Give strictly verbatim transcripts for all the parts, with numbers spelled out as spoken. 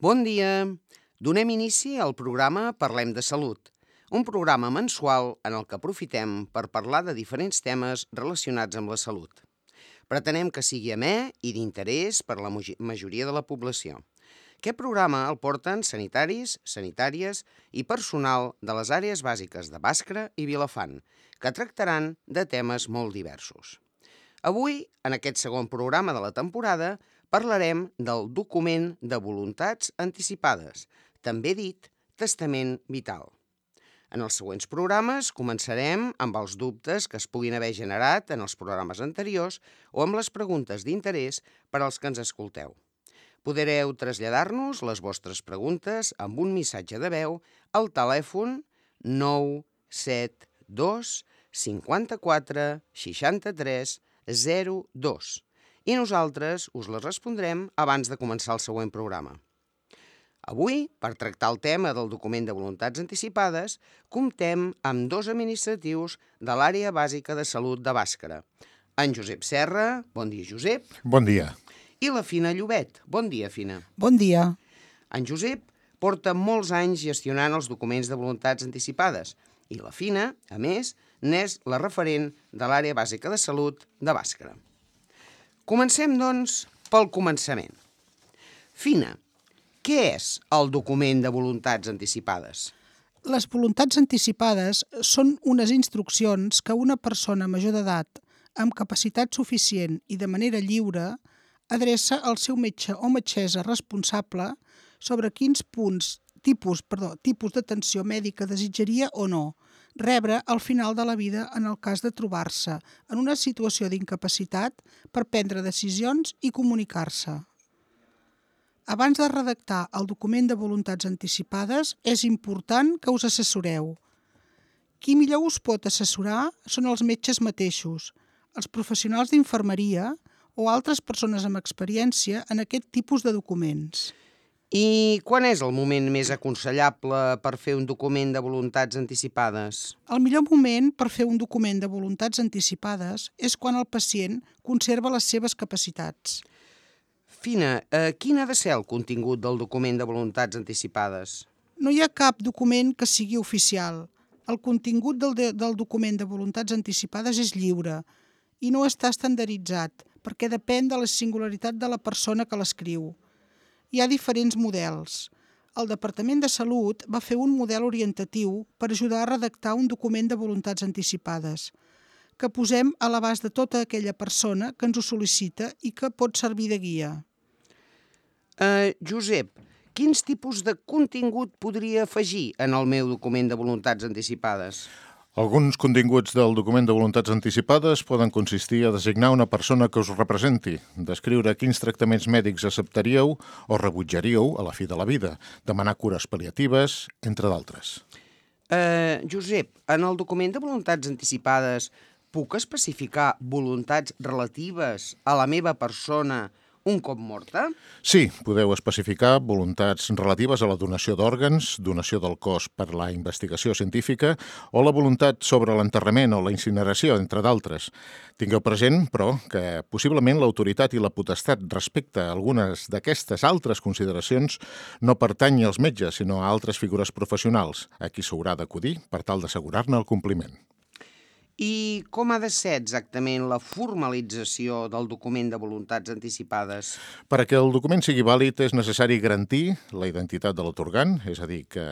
Bon dia! Donem inici al programa Parlem de Salut, un programa mensual en el que aprofitem per parlar de diferents temes relacionats amb la salut. Pretenem que sigui amè i d'interès per a la mogi- majoria de la població. Aquest programa el porten sanitaris, sanitàries i personal de les àrees bàsiques de Bàscara i Vilafant, que tractaran de temes molt diversos. Avui, en aquest segon programa de la temporada, parlarem del document de voluntats anticipades, també dit testament vital. En els següents programes començarem amb els dubtes que es puguin haver generat en els programes anteriors o amb les preguntes d'interès per als que ens escolteu. Podreu traslladar-nos les vostres preguntes amb un missatge de veu al telèfon nou set dos cinquanta-quatre seixanta-tres zero dos i nosaltres us les respondrem abans de començar el següent programa. Avui, per tractar el tema del document de voluntats anticipades, comptem amb dos administratius de l'àrea bàsica de salut de Bàscara. En Josep Serra, bon dia Josep, Bon dia. i la Fina Llobet. Bon dia, Fina. Bon dia. En Josep porta molts anys gestionant els documents de voluntats anticipades i la Fina, a més, n'és la referent de l'àrea bàsica de salut de Bàscara. Comencem, doncs, pel començament. Fina, què és el document de voluntats anticipades? Les voluntats anticipades són unes instruccions que una persona major d'edat amb capacitat suficient i de manera lliure adreça al seu metge o metgessa responsable sobre quins punts, tipus, perdó, tipus d'atenció mèdica desitjaria o no rebre al final de la vida en el cas de trobar-se en una situació d'incapacitat per prendre decisions i comunicar-se. Abans de redactar el document de voluntats anticipades, és important que us assessoreu. Qui millor us pot assessorar són els metges mateixos, els professionals d'infermeria o altres persones amb experiència en aquest tipus de documents. I quan és el moment més aconsellable per fer un document de voluntats anticipades? El millor moment per fer un document de voluntats anticipades és quan el pacient conserva les seves capacitats. Fina, eh, quin ha de ser el contingut del document de voluntats anticipades? No hi ha cap document que sigui oficial. El contingut del, de, del document de voluntats anticipades és lliure i no està estandarditzat perquè depèn de la singularitat de la persona que l'escriu. Hi ha diferents models. El Departament de Salut va fer un model orientatiu per ajudar a redactar un document de voluntats anticipades, que posem a l'abast de tota aquella persona que ens ho sol·licita i que pot servir de guia. Uh, Josep, quins tipus de contingut podria afegir en el meu document de voluntats anticipades? Alguns continguts del document de voluntats anticipades poden consistir a designar una persona que us representi, descriure quins tractaments mèdics acceptaríeu o rebutjaríeu a la fi de la vida, demanar cures pal·liatives, entre d'altres. Uh, Josep, en el document de voluntats anticipades puc especificar voluntats relatives a la meva persona un cop morta? Sí, podeu especificar voluntats relatives a la donació d'òrgans, donació del cos per la investigació científica o la voluntat sobre l'enterrament o la incineració, entre d'altres. Tingueu present, però, que possiblement l'autoritat i la potestat respecte a algunes d'aquestes altres consideracions no pertany als metges, sinó a altres figures professionals, a qui s'haurà d'acudir per tal d'assegurar-ne el compliment. I com ha de ser exactament la formalització del document de voluntats anticipades? Perquè el document sigui vàlid és necessari garantir la identitat de l'atorgant, és a dir, que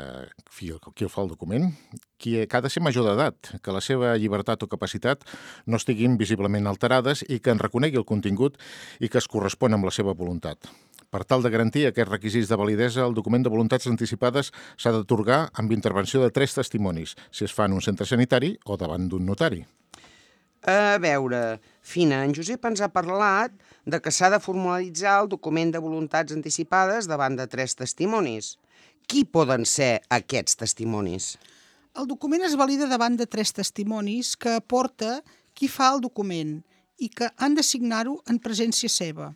qui el fa el document, qui ha de ser major d'edat, que la seva llibertat o capacitat no estiguin visiblement alterades i que en reconegui el contingut i que es correspon amb la seva voluntat. Per tal de garantir aquests requisits de validesa, el document de voluntats anticipades s'ha d'atorgar amb intervenció de tres testimonis, si es fa en un centre sanitari o davant d'un notari. A veure, Fina, en Josep ens ha parlat de que s'ha de formalitzar el document de voluntats anticipades davant de tres testimonis. Qui poden ser aquests testimonis? El document es valida davant de tres testimonis que aporta qui fa el document i que han de signar-ho en presència seva.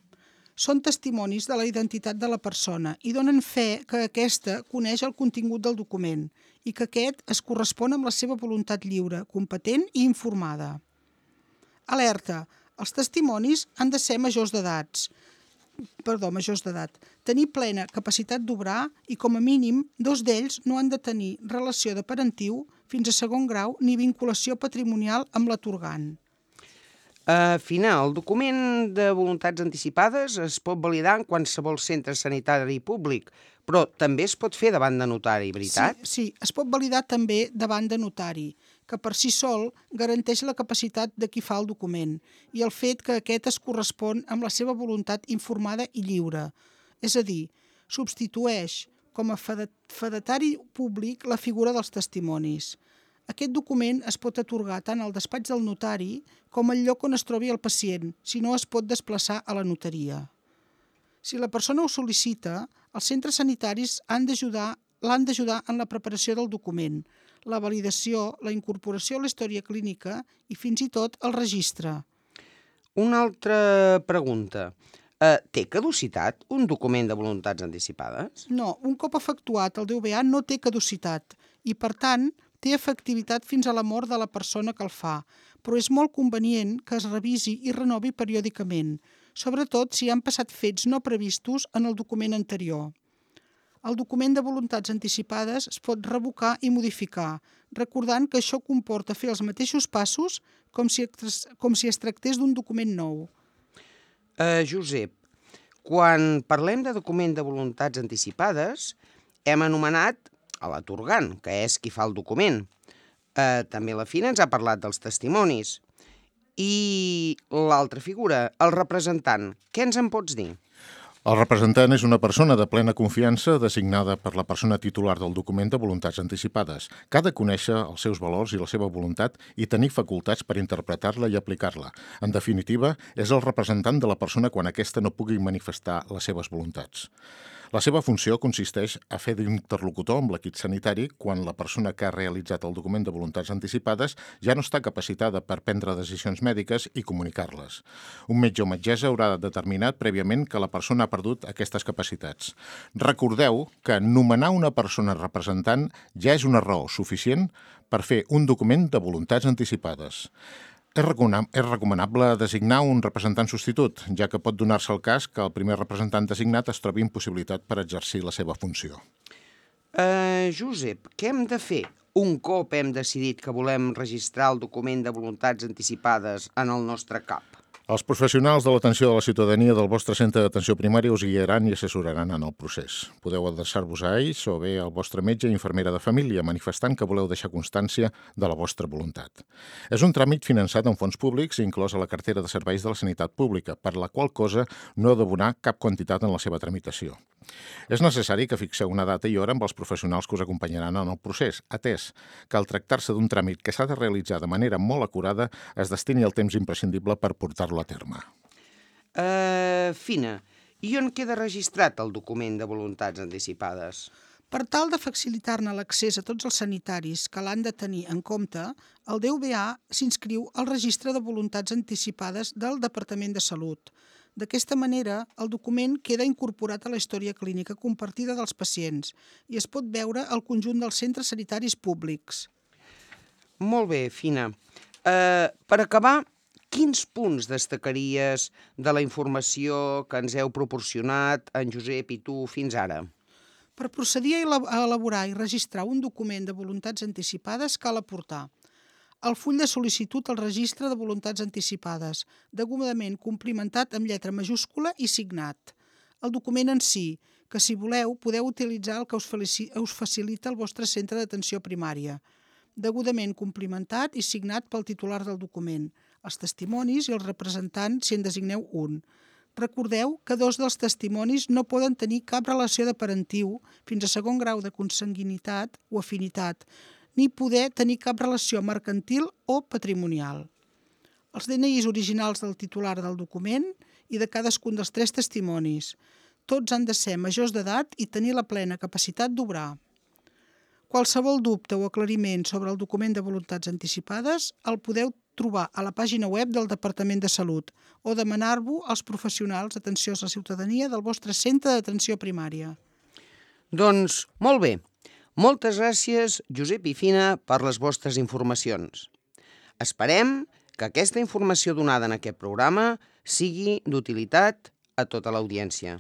Són testimonis de la identitat de la persona i donen fe que aquesta coneix el contingut del document i que aquest es correspon amb la seva voluntat lliure, competent i informada. Alerta, els testimonis han de ser majors d'edats, perdó, majors d'edat, tenir plena capacitat d'obrar i, com a mínim, dos d'ells no han de tenir relació de parentiu fins a segon grau ni vinculació patrimonial amb l'atorgant. Uh, Fina, el document de voluntats anticipades es pot validar en qualsevol centre sanitari públic, però també es pot fer davant de notari, veritat? Sí, sí, es pot validar també davant de notari, que per si sol garanteix la capacitat de qui fa el document i el fet que aquest es correspon amb la seva voluntat informada i lliure. És a dir, substitueix com a fedatari públic la figura dels testimonis. Aquest document es pot atorgar tant al despatx del notari com al lloc on es trobi el pacient, si no es pot desplaçar a la notaria. Si la persona ho sol·licita, els centres sanitaris han d'ajudar l'han d'ajudar en la preparació del document, la validació, la incorporació a la història clínica i fins i tot el registre. Una altra pregunta. Uh, té caducitat un document de voluntats anticipades? No, un cop efectuat el D V A no té caducitat i, per tant, té efectivitat fins a la mort de la persona que el fa, però és molt convenient que es revisi i renovi periòdicament, sobretot si han passat fets no previstos en el document anterior. El document de voluntats anticipades es pot revocar i modificar, recordant que això comporta fer els mateixos passos com si, com si es tractés d'un document nou. Uh, Josep, quan parlem de document de voluntats anticipades, hem anomenat a l'atorgant, que és qui fa el document. Uh, també la Fina ens ha parlat dels testimonis. I l'altra figura, el representant, què ens en pots dir? El representant és una persona de plena confiança designada per la persona titular del document de voluntats anticipades, que ha de conèixer els seus valors i la seva voluntat i tenir facultats per interpretar-la i aplicar-la. En definitiva, és el representant de la persona quan aquesta no pugui manifestar les seves voluntats. La seva funció consisteix a fer d'interlocutor amb l'equip sanitari quan la persona que ha realitzat el document de voluntats anticipades ja no està capacitada per prendre decisions mèdiques i comunicar-les. Un metge o metgessa haurà determinat prèviament que la persona ha perdut aquestes capacitats. Recordeu que nomenar una persona representant ja és una raó suficient per fer un document de voluntats anticipades. És recomanable designar un representant substitut, ja que pot donar-se el cas que el primer representant designat es trobi impossibilitat per exercir la seva funció. Uh, Josep, què hem de fer un cop hem decidit que volem registrar el document de voluntats anticipades en el nostre C A P? Els professionals de l'atenció de la ciutadania del vostre centre d'atenció primària us guiaran i assessoraran en el procés. Podeu adreçar-vos a ells o bé al vostre metge i infermera de família, manifestant que voleu deixar constància de la vostra voluntat. És un tràmit finançat amb fons públics inclòs a la cartera de serveis de la sanitat pública, per la qual cosa no heu d'abonar cap quantitat en la seva tramitació. És necessari que fixeu una data i hora amb els professionals que us acompanyaran en el procés, atès que al tractar-se d'un tràmit que s'ha de realitzar de manera molt acurada es destini el temps imprescindible per portar-lo a terme. Uh, Fina, i on queda registrat el document de voluntats anticipades? Per tal de facilitar-ne l'accés a tots els sanitaris que l'han de tenir en compte, el D V A s'inscriu al registre de voluntats anticipades del Departament de Salut. D'aquesta manera, el document queda incorporat a la història clínica compartida dels pacients i es pot veure al conjunt dels centres sanitaris públics. Molt bé, Fina. Uh, per acabar, quins punts destacaries de la informació que ens heu proporcionat en Josep i tu fins ara? Per procedir a elaborar i registrar un document de voluntats anticipades cal aportar el full de sol·licitud al registre de voluntats anticipades, degudament complimentat amb lletra majúscula i signat. El document en si, que si voleu podeu utilitzar el que us, us facilita el vostre centre d'atenció primària, degudament complimentat i signat pel titular del document, els testimonis i el representant si en designeu un. Recordeu que dos dels testimonis no poden tenir cap relació de parentiu fins a segon grau de consanguinitat o afinitat, ni poder tenir cap relació mercantil o patrimonial. Els D N Is originals del titular del document i de cadascun dels tres testimonis. Tots han de ser majors d'edat i tenir la plena capacitat d'obrar. Qualsevol dubte o aclariment sobre el document de voluntats anticipades el podeu trobar a la pàgina web del Departament de Salut o demanar-ho als professionals d'atenció a la ciutadania del vostre centre d'atenció primària. Doncs molt bé. Moltes gràcies, Josep i Fina, per les vostres informacions. Esperem que aquesta informació donada en aquest programa sigui d'utilitat a tota l'audiència.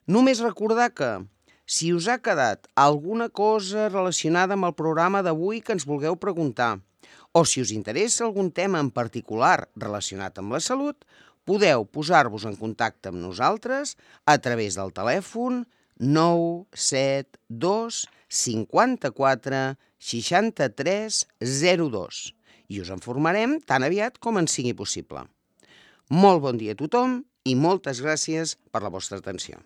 Només recordar que, si us ha quedat alguna cosa relacionada amb el programa d'avui que ens vulgueu preguntar, o si us interessa algun tema en particular relacionat amb la salut, podeu posar-vos en contacte amb nosaltres a través del telèfon nou set dos cinquanta-quatre seixanta-tres zero dos i us en informarem tan aviat com ens sigui possible. Molt bon dia a tothom i moltes gràcies per la vostra atenció.